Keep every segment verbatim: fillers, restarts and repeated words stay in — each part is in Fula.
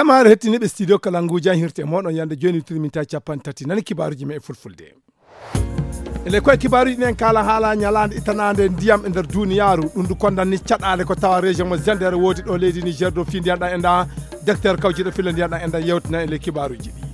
Maare hettiniiɓe studio Kalangu, jam hirte moɗon yande jooni, witiri minti capanɗe tati. Nani kibaaruuji men e fulfulde. Ele koye kibaaruuji ɗin en kaala haala ñalaande ittanaande ndiyam e nder duuniyaaru. Ɗum ndu kondan ni caɗaale ko tawa région mo Zender woodi ɗo leydi Niger, dow fii ndiyan ɗan enɗan. Docteur kawjiiɗo filla ndiyan ɗan enɗan yewtina ele kibaaruuji ɗi.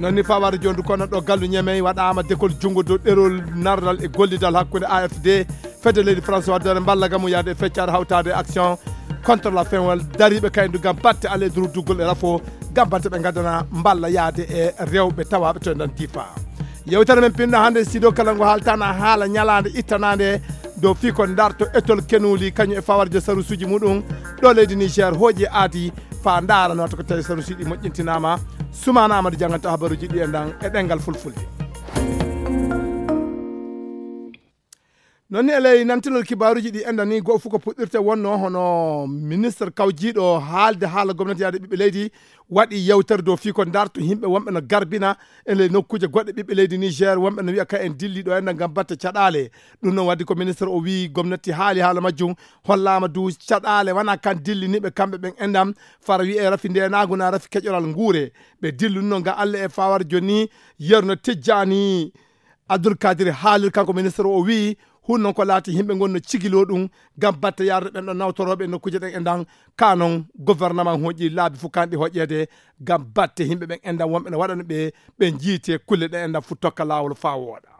Non ni fawaade jooni ndu kondan ɗo gallu Ñemey waɗaama dekol junngo dow ɗerol nardal e gollidal hakkunde A F D, fedde leydi France waddere mballa gamu yaade e feccaade hawtaade action contre la faim wal dariiɓe kaydu ngam batte ale durduggol e rafo ngam batte ɓe ngaddana mballa yaade e rewɓe tawaaɓe to e nder Difa. Yewtere men pinɗo hannde studio Kalangu haaltana haala ñalaande ittanaande dow fii ko darto etol kenuli kañum e fawarjo sarusuuji muɗum ɗo leydi Niger hooƴi e aadi faa ndaara no wata ko tawi sarusuuji ɗi moƴƴintinaama. Sumaana Amadu jannganta habaruuji ɗi enɗan e ɗemngal fulfulde. Non ni e ley nantinol kibaaruuji ɗi enɗan ni, go'o fof ko puɗɗirte wonno hono ministre kawjiiɗo haalde haala gomnati yaade ɓiɓɓe leydi waɗi yewtere dow fii ko darto yimɓe wonɓe no garbina e ley nokkuuje goɗɗe ɓiɓɓe leydi Niger, wonɓe no wi'a ka en dilli ɗo enɗan ngam batte caɗaale. Ɗum noon waddi ko ministre o wi'i gomnati haali haala majjum, hollaama du caɗaale wona kan dilliniiɓe kamɓe ɓen enɗan, fara wi'e rafi ndeenaagu na rafi keƴoral nguure. Ɓe dilluno nga Allah e fawar jooni, yerno Tijjaani Abdul Kadir haalir, kanko ministre o wi'i, hun noon ko laati yimɓe ngon no cigiloo ɗum ngam batte yarde ɓen ɗon nawtorooɓe e nokkuuje ɗen enɗan, ka noon gouvernement hooƴi laabi fof kanɗi hoƴeede ngam batte yimɓe ɓen enɗan wonɓe no waɗano ɓe, ɓe njiite kulle ɗe enɗan fof tokka laawol faa wooɗa.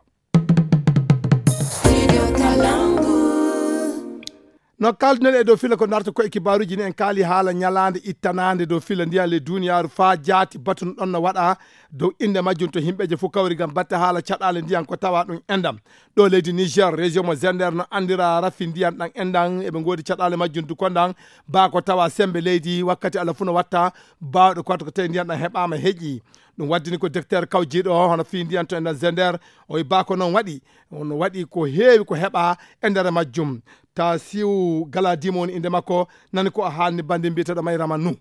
No kaalduɗen e dow filla ko darto ko e kibaaruuji ni, en kaali haala ñalaande ittanaande dow filla ndiyan ley duuniyaaru faa jaati batun ɗon no waɗa dow innde majjum to yimɓeeje fof kawri ngam batte haala caɗaale ndiyan ko tawa ɗum enɗan. Ɗo leydi Niger, région mo Zender no anndira rafi ndiyan ɗan enɗan, eɓe ngoodi caɗaale majjum du kondan, baa ko tawa semmbe leydi wakkati Allah fof no watta baawɗe ko watta ko tawi ndiyan ɗan heɓaama heƴi. Ɗum waddini ko docteur kawjiiɗo hono fii ndiyan to enɗan Zender, o wi baa ko noon waɗi, no waɗi ko heewi ko heɓa e nder majjum. Tasiu Galadima woni innde makko, nani ko o haalni banndi mbiyeteeɗo Mayrama Nu.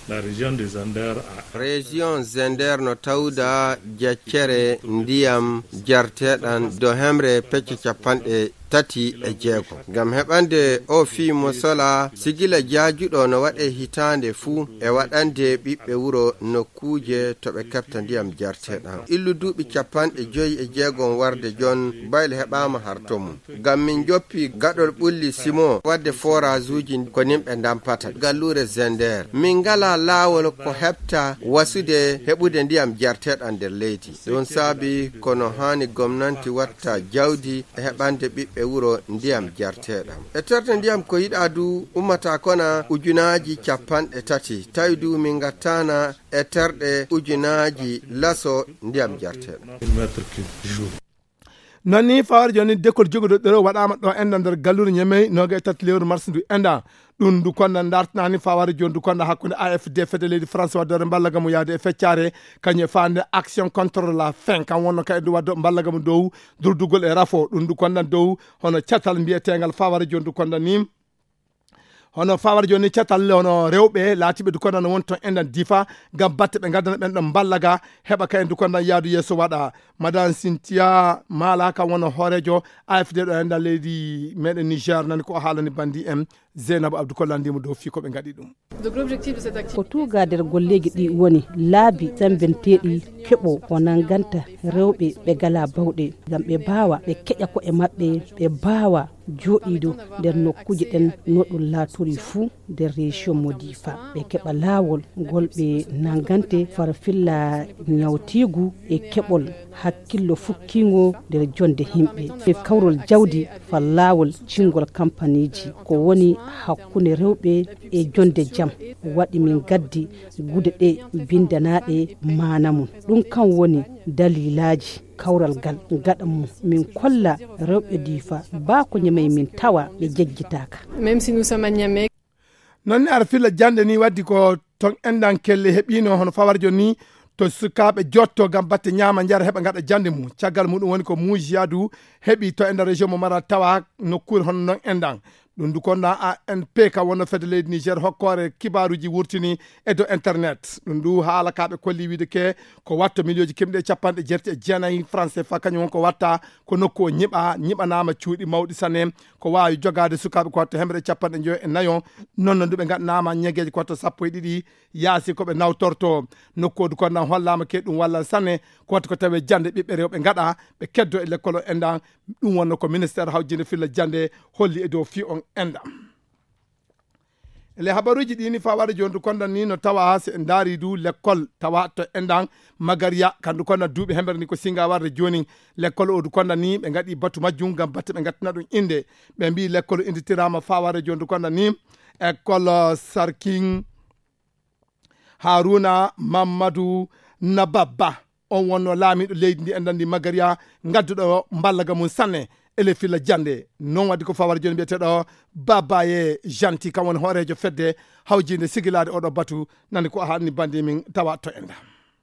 La région de Zander a Région Zender no tawda jaccere ndiyam jarteɗan do hemre pecce capanɗe tati e jeego. Ngam heɓande o fii mosola, sigila jaajuɗo no waɗe hitaande fuu e waɗande ɓiɓɓe wuro nokkuuje to ɓe keɓta ndiyam jarteɗan. Illu duuɓi capanɗe joyi e jeegom warde jon, bayle heɓaama harto mum. Ngam min joppi gaɗol ɓulli Simo wadde foraajuuji ko nimɓe ndampata. Galluure Zender, min ngalaa laawol ko heɓta wasude heɓude ndiyam jarteɗan nder leydi. Ɗum saabi kono haani gomnanti watta jawdi e heɓande ɓiɓɓe wuro ndiyam jarteɗam. E terde ndiyam ko yiɗaa du ummata kona ujunaaji capanɗe tati. Tawi du min ngattaana e terɗe ujunaaji laso ndiyam jarteɗam. Non ni fawar jooni dekol joguɗo ɗero waɗaama ɗo enɗan nder gallure Ñemey, nooga e tati lewru mars ndu enɗan. Ɗum ndu konda dartanaani fawar jooni ndu konda hakkunde A F D fedde leydi France waddore mballa gamu yaade e feccare, kañum e faande action contre la faim, kam wonno ka e ndu waddo mballa gamu dow durdugol e rafo. Ɗum ndu kondan dow hono catal mbiyeteengal fawar jooni ndu konda ni. Hono fawar jooni catal hono rewɓe laatiiɓe du kondan no woni toon enɗan Difa ngam batte ɓe ngaddana ɓen ɗon mballa ga heɓa ka en du kondan yaadu yeeso waɗa. Madame Cynthia Mala kam woni hooreejo A F D ɗo enɗan leydi meɗen Niger, nani ko o haalani banndi en. Zeynab Abdou Kollandiimo dow fii ko ɓe ngaɗi ɗum. Ko tuuga nder golleeji ɗi woni laabi semmbenteeɗi keɓo ko nannganta rewɓe ɓe ngalaa bawɗe, ngam ɓe mbaawa ɓe keƴa ko'e maɓɓe, ɓe mbaawa jooɗiido nder nokkuuje ɗen no ɗum laatori fuu nder région mo Difa. Ɓe keɓa laawol ngol ɓe nanngante fara filla ñawtiigu e keɓol hakkillo fukkiingo nder jonde yimɓe. E kawrol jawdi far laawol cingol kampaniiji ko woni hakkunde rewɓe e jonde jam. Waɗi min gaddi gude ɗe binndanaaɗe maana mum. Ɗum kam woni dalilaaji kawral ngal gaɗa mum min kolla rewɓe Difa baa ko Ñamey min tawa ɓe jejjitaaka. Même si nous sommes à Niamey. Non ni ara filla jannde ni waddi ko ton enɗan kelle heɓino hono fawarjo ni to sukaaɓe jotto ngam batte ñaama njara heɓa ngaɗa jannde mum. Caggal muɗum woni ko Muuji Yaadu heɓi to enɗan région mo Maral tawa nokkuure hono non enɗan. Ɗum du konna A N P ka wonno fedde leydi Niger hokkoore kibaaruuji wurtini e dow internet. Ɗum du haala ka ɓe kolli wiide ke ko watto miliyooji kemɗe capanɗe jeetati e jeenayi franc C F A kañum won ko watta ko nokku o ñiɓa, ñiɓanaama cuuɗi mawɗi sanne, ko waawi jogaade sukaaɓe ko watto hemre e capanɗe njoyo e nayo. Non non du ɓe ngaɗanaama ñegeeje ko watto sappo e ɗiɗi yaasi ko ɓe nawtorto. Nokku o du konna hollaama ke ɗum walla sanne ko watto ko tawe jannde ɓiɓɓe rewɓe ngaɗa ɓe keddo e lekkol o enɗan. Ɗum wonno ko ministeer hawjinde filla jannde holli e dow fii on enɗan. E le habaruuji ɗi ni faa warde jooni du konna ni no tawa se en ndaari du lekkol tawa to enɗan Magariya kandu konna duuɓi hemre ni ko singa warde jooni. Lekkol o du konna ni ɓe ngaɗi batu majjum ngam batte ɓe ngattina ɗum innde. Ɓe mbii lekkol innditiraama faa warde jooni du konna ni école Sarkin Haruna Mamadou Nababba. On wonno laamiiɗo leydi ndi enɗan ndi Magariya ngadduɗo mballaga mum sanne ele filla jannde. Non waddi ko fawara jooni mbiyeteeɗo Babaye Janti, kam woni hooreejo fedde hawjinde sigilaade oɗo batu. Nani ko hanni bandi min tawa to enɗan.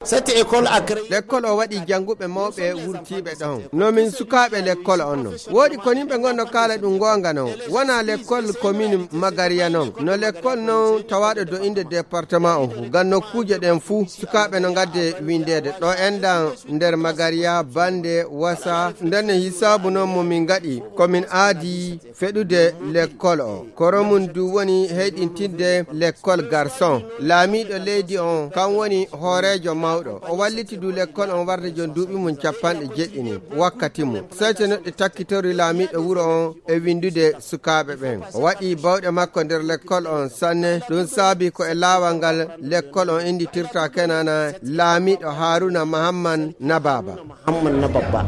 Cette école a créé. Lekkol o waɗi jannguɓe mawɓe wurtiiɓe ɗon. No min sukaaɓe lekkol on non. Woodi ko nimɓe ngonno kaala ɗum goonga non. Wona lekkol commune Magariya non. No lekkol non tawaaɗo do inde département on fuu. Ngam nokkuuje ɗen fuu sukaaɓe no ngadde windeede. Ɗo enɗan nder Magariya, Bande, Wasa. Nden no hisaabu non mo min ngaɗi. Ko min aadi feɗude lekkol o. Koro mum du woni heyɗintinde lekkol garçon. Laamiiɗo leydi on, kan woni hooreejo mawɗo. O walliti du lekkol on warde jon duuɓi mum capanɗe jeɗɗini wakkati mum. Seytenoɗe takkitori laamiiɗo wuro on e windude sukaaɓe ɓen. O waɗi bawɗe makko nder lekkol on sanne. Ɗum saabi ko e laawal ngal lekkol on innditirta kenana laamiiɗo Haruna Mahamman Nababa. Muhammad Nababa.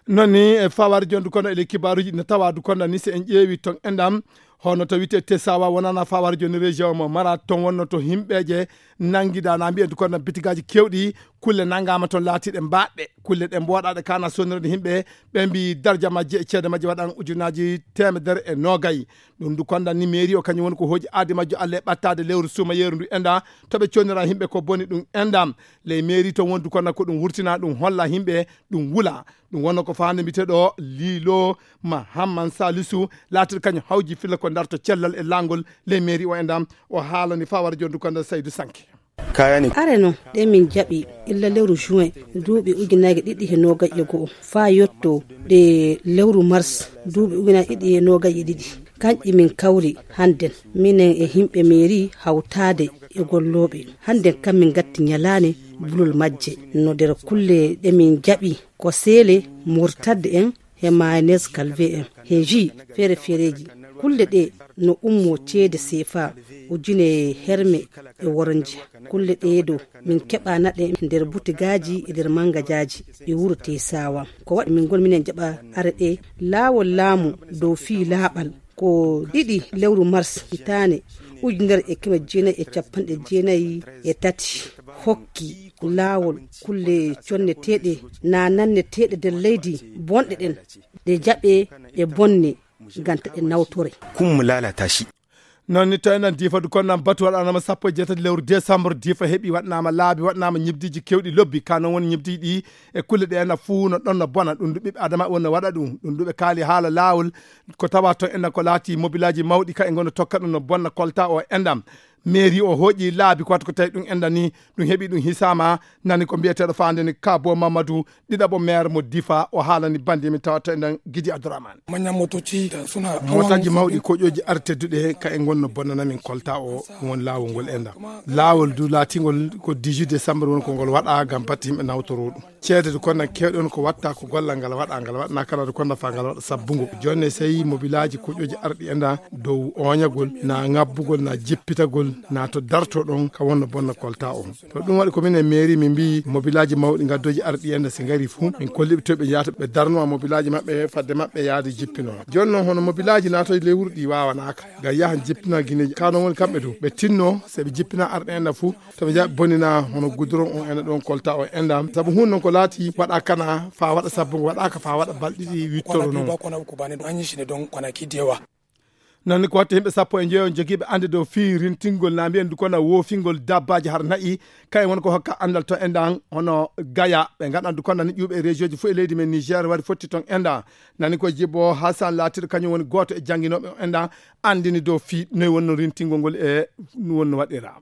Non ni e fawar jondu kono ele kibaaruuji no tawa du kono ni se en ƴeewi ton enɗam hono to wite Tesawa wonana fawar joni région mo mara ton wonno to himɓeje nangida na mbiyen du kono bitigaaji kewɗi kulle nangama ton laatiɗe mbaɗɗe kulle ɗe mboɗaɗe kana sonirde himɓe ɓe mbi darja majje e ceede majje waɗan ujunaji temedere e nogay. Ɗum du konda ni mairie o kañum woni ko hooji aadi majjo alle ɓattade lewru suuma yeru ndu enɗa to ɓe connira himɓe ko boni ɗum enɗam. Ley mairie ton wondu kono ko ɗum wurtina ɗum holla himɓe ɗum wula. Ɗum wonno ko faande mbiteɗo Lilo Mahamman Salisu laatiɗo kañum hawji filla ko darto cellal e langol ley mairie o enɗam. O haalani fawara jondu kono Saydu Sanke. Kayani. Are non ɗe min jaɓi illa lewru juin duuɓi ujunaaji ɗiɗi e noogay e go'o faa yotto ɗe lewru mars duuɓi ujunaaji ɗiɗi e noogay e ɗiɗi. Kanƴi min kawri hannden minen e himɓe meeri hawtaade e gollooɓe hannden kam min ngatti ñalaane bulol majje. No nder kulle ɗe min jaɓi ko seele murtadde en he mayonnaise calvé en he jus feere feereeji. Kulle ɗe no ummoo ceede seefa ujune herme e woronje. Kulle ɗee do min keɓana ɗe nder butigaaji e nder mangajaaji e wuro Tesawa. Ko waɗi min ngoni minen jaɓa are ɗe laawol laamu dow fii laaɓal. Ko ɗiɗi lewru mars hitaande ujunere e keme jeenayi e capanɗe jeenayi e tati hokki laawol kulle conneteeɗe na nanneteeɗe nder leydi bonɗe ɗen ɗe jaɓe ɗe bonne ganta ɗe nawtore. Kun mu lalata shi. Non ni tawi nan difa du konnan batu waɗanama sappo e jeetati lewru décembre difa heɓi waɗanama laabi waɗanama ñibdiji kewɗi lobbi ka non woni ñibdiji ɗi e kulle ɗe ena fuu no ɗon no bona ɗum du ɓiɓɓe adama won no waɗa ɗum ɗum du ɓe kaali haala laawol. Ko tawa to ena ko laati mobilaji mawɗi ka e ngono tokka ɗum no bonna kolta o enɗam. Mairie o hooƴi laabi ko watta ko tawi ɗum enɗa ni ɗum heɓi ɗum hisama. Nani ko mbiyeteɗo fande ni kabo mamadou ɗiɗaɓo maire mo difa o haalani bandi min tawa to enɗan gidi abdourahmane. Manyan motoci da suna hawa motaji mawɗi koƴoji ar tedduɗe ka e gonno bonnana min kolta o. Won laawol ngol enɗan laawol du laatingol ko dix-huit décembre woni ko ngol waɗa ngam batte yimɓe nawtoro ɗum. Ceede du konnan kewɗe on ko watta ko gollal ngal waɗa ngal waɗana kala du konnan fa ngal waɗa sabbungo jonne sey mobilaji koƴoji arɗi enɗan dow oñagol na ngabbugol na jippitagol na to darto ɗon ka wonno bonna kolta on. To ɗum waɗi ko minen mairie min mbi mobilaji mawɗi gaddoji arɗi enɗan si ngari fuu min kolliɓe to ɓe jahata ɓe darnoma mobilaji maɓɓe fadde maɓɓe yaade jippinoma. Joni noon hono mobilaji natoji ley wuro ɗi wawanaka ngam yahan jippina guineji kano woni kamɓe dow ɓe tinno se ɓe jippina arɗe enɗan fuu. To ɓe jaɓi bonina hono guduron on ena ɗon kolta o enɗam sabu hun non ko laati waɗa kana fa waɗa sabbu ngo waɗaka fa waɗa balɗiɗi wittoro noon. Kwana biyu ba kwana uku ba ne don an yi shi ne don kwanaki da yawa. Nani ko watta yimɓe sappo e njoyo jogiiɓe annde dow fii rintingol na mbiyen dukonda woofingol dabbaaji har na'i, kayen woni ko hokka anndal to enɗan hono Gaya. Ɓe ngaɗan dukonda ni ƴuuɓe e région ji fof e leydi men Niger wari fotti ton enɗan. Nani ko Jibo Hassan laatiiɗo kañum woni gooto e jannginooɓe on enɗan, anndini dow fii noy wonno rintingol ngol e no wonno waɗira.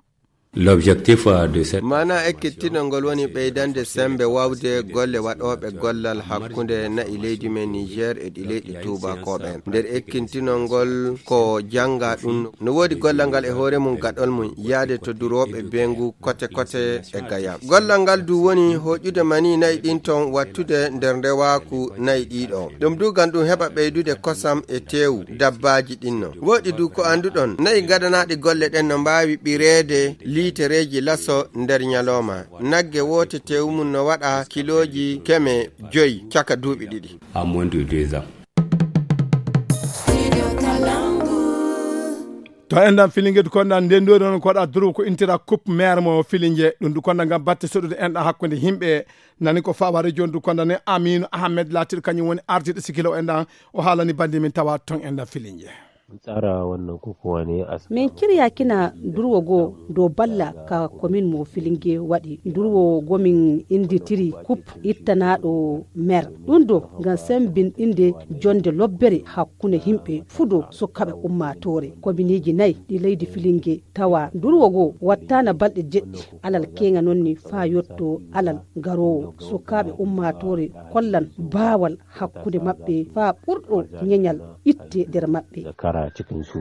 L'objectif, euh, de cette Maana ekkitinol ngol woni ɓeydande sembe wawde golle waɗooɓe gollal hakkunde na'i leydi men Niger e ɗi leyɗe tuubakooɓe. Nder ekkintinol ngol ko jannga ɗum no woodi gollal ngal e hoore mum gaɗol mum yaade to durooɓe beengu kote kote e Gaya. Gollal ngal du woni hoƴude mani na'i ɗin ton wattude nder ndewaaku na'i ɗiɗo. Ɗum du ngam ɗum heɓa ɓeydude kosam e teewu dabbaaji ɗin no. Woɗi du ko annduɗon, na'i gadanaaɗi golle ɗen no mbaawi ɓireede liitereeji laso nder ñalooma. Nagge woote teewu mum no waɗa kilooji keme joyi caka duuɓi ɗiɗi. À moins de deux ans. To enɗan Filinge dukonda nden ɗo ɗon ko waɗa duru ko intira coupe maire mo Filinge. Ɗum dukonda ngam batte soɗude enɗan hakkunde yimɓe. Nani ko fawa région dukonda ne Aminu Ahmed laatiiɗo kañum woni ardiiɗo sikilo enɗan. O haalani bandi min tawa ton enɗan Filinge. Tsara wannan kukuwa ne a Min kirya kina durwo go do balla ka komin mo Filinge waɗi. Durwo go min inditiri kup ittanaɗo mer. Ɗum do ngam sembinɗinde jonde lobbere hakkunde yimɓe fudo sukaɓe ummatore. Kominiji nayi ɗi leydi Filinge tawa durwo go wattana balɗe jeɗɗi alal kenga nonni fa yotto alal garowo. Sukaɓe ummatore kollan bawal hakkunde maɓɓe fa ɓurɗo ñeñal itte nder maɓɓe. Kara cikin su.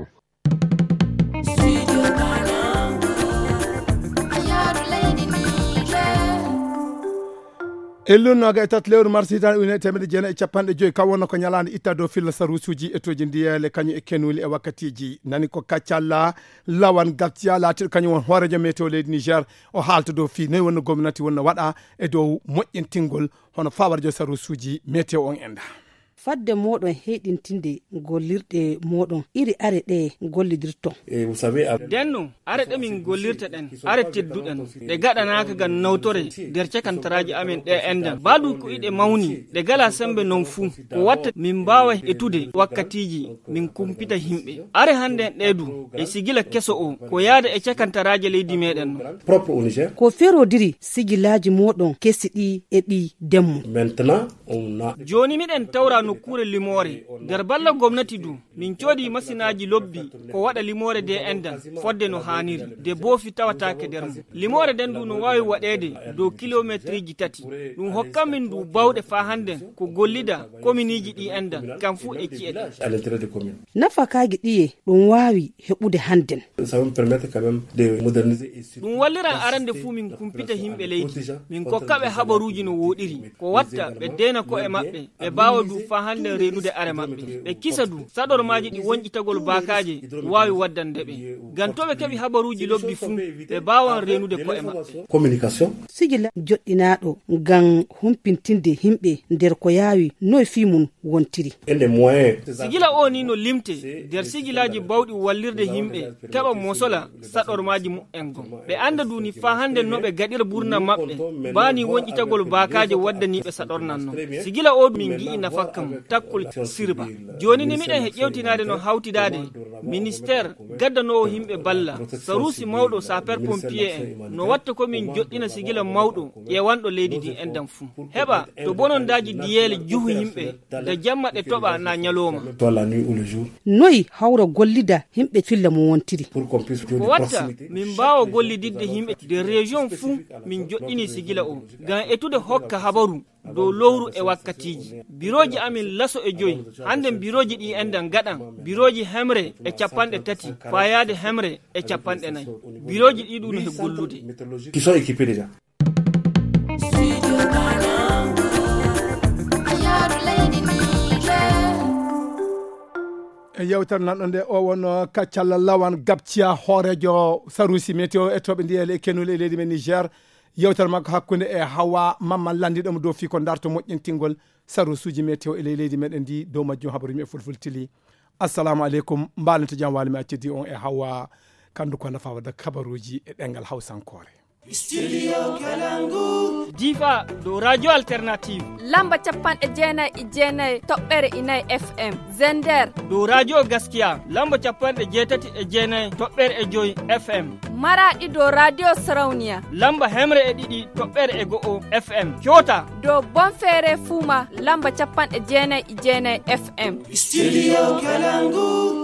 Ellun noga e tati lewru mars hitande ujunere e temeɗe jeenayi e capanɗe joyi, kam wonno ko ñalaande itta dow filla sarusuji e toji ndiyele kañum e kenuli e wakkatiji. Nani ko kaccalla lawan gabtiya laatiɗo kañum won hoorejo météo leydi Niger. O haalta dow fii noy wonno gomnati wonno waɗa e dow moƴƴintingol hono fawarjo sarusuji météo on enda. Fadde moɗon heyɗintinde gollirɗe moɗon iri are ɗe gollidirton. Denno are ɗe min gollirta ɗen are tedduɗen, ɗe gaɗanaka ngam nawtore nder cakantaraaji amen ɗe endan. Baadu ko iɗe mawni ɗe gala sembe non fuu, ko watta min mbaawa etude wakkatiiji min kumpita yimɓe. Are hannden ɗe du e sigila keso o ko yaada e cakantaraaji leydi meɗen non. Ko ferodiri sigilaaji moɗon kesi ɗi e ɗi demmo. Jooni miɗen tawra nokkuure limoore nder balla gomnati du. Min coodi masinaaji lobbi ko waɗa limoore de endan fodde no haaniri, de boofi tawataake nder mum. Limoore nden du no waawi waɗeede dow kilometriji tati. Ɗum hokkan min du bawɗe faa hannden ko gollida kominiiji ɗi endan kam fuu e ci'e ɗe. Nafakaaji ɗiye ɗum waawi heɓude hannden? Ɗum walliran arande fuu min kumpita yimɓe leydi, min kokka ɓe habaruuji no wooɗiri, ko watta ɓe deena ko'e maɓɓe, ɓe mbaawa du faa hannden reenude are maɓɓe, ɓe kisa du saɗormaaji ɗi wonƴitagol baakaaje waawi waddande ɓe. Ngam to ɓe keɓi habaruuji lobbi fuu, ɓe mbaawan reenude ko'e maɓɓe. Sigila joɗɗinaaɗo ngam humpintinde yimɓe nder ko yaawi noy fii mum wontiri. Sigila o ni no limte nder sigilaaji bawɗi wallirde yimɓe keɓa mosola saɗormaaji muɓɓen gon. Ɓe annda duni faa hannde no ɓe gaɗira burna maɓɓe mbaani wonƴitagol baakaaje waddaniiɓe saɗornan non. Sigila o min ngi'i nafakka mum takkol sirba. Jooni ni miɗen he ƴewtinaade no hawtidaade ministeer gaddanoowo yimɓe balla saruusi mawɗo saper pompier en no watta ko min joɗɗina sigila mawɗo ƴeewanɗo leydi ndi endan fuu. Heɓa to bonondaaji diyeele juhu yimɓe nde jamma ɗe toɓa na ñalooma. Noy hawra gollida yimɓe filla mo wontiri? Ko watta min mbaawa gollididde yimɓe de région fuu min joɗɗini sigila o ngam etude hokka habaru dow lowru e wakkatiiji. Birooji amin laso e joyi. Hannden birooji ɗi endan gaɗan birooji hemre e capanɗe tati faa yaade hemre e capanɗe nayi. Birooji ɗi ɗum no he gollude. Qui sont équipés déjà. E yewtere nanɗo nde o wonno kaccalla lawan gabciya hoorejo sarusi météo e toɓe ndiyele e kenule e leydi men Niger. Yewtere makko hakkunde e Hawa Mamman landiɗo mo dow fii ko darto moƴƴintingol sarusuji météo e ley leydi meɗen ndi. Dow majjum habaruji e fulfultili. Assalamu aleykum, mbaɗen to jam wali mi accidi on e Hawa Kandu ko nafa wadda habaruji e ɗengal hawsankore. Studio Kalangu. Difa, ɗo Radio Alternative. Lamba capanɗe jeenayi e jeenayi toɓɓere inayi F M. Zender. Ɗo Radio Gaskiya. Lamba capanɗe jeetati e jeenayi toɓɓere e joyi F M. Maraɗi, ɗo Radio Sarauniya. Lamba hemre e ɗiɗi toɓɓere e go'o F M. Kyota. Ɗo Bonfere Fuma. Lamba capanɗe jeenayi e jeenayi F M. Studio Kalangu.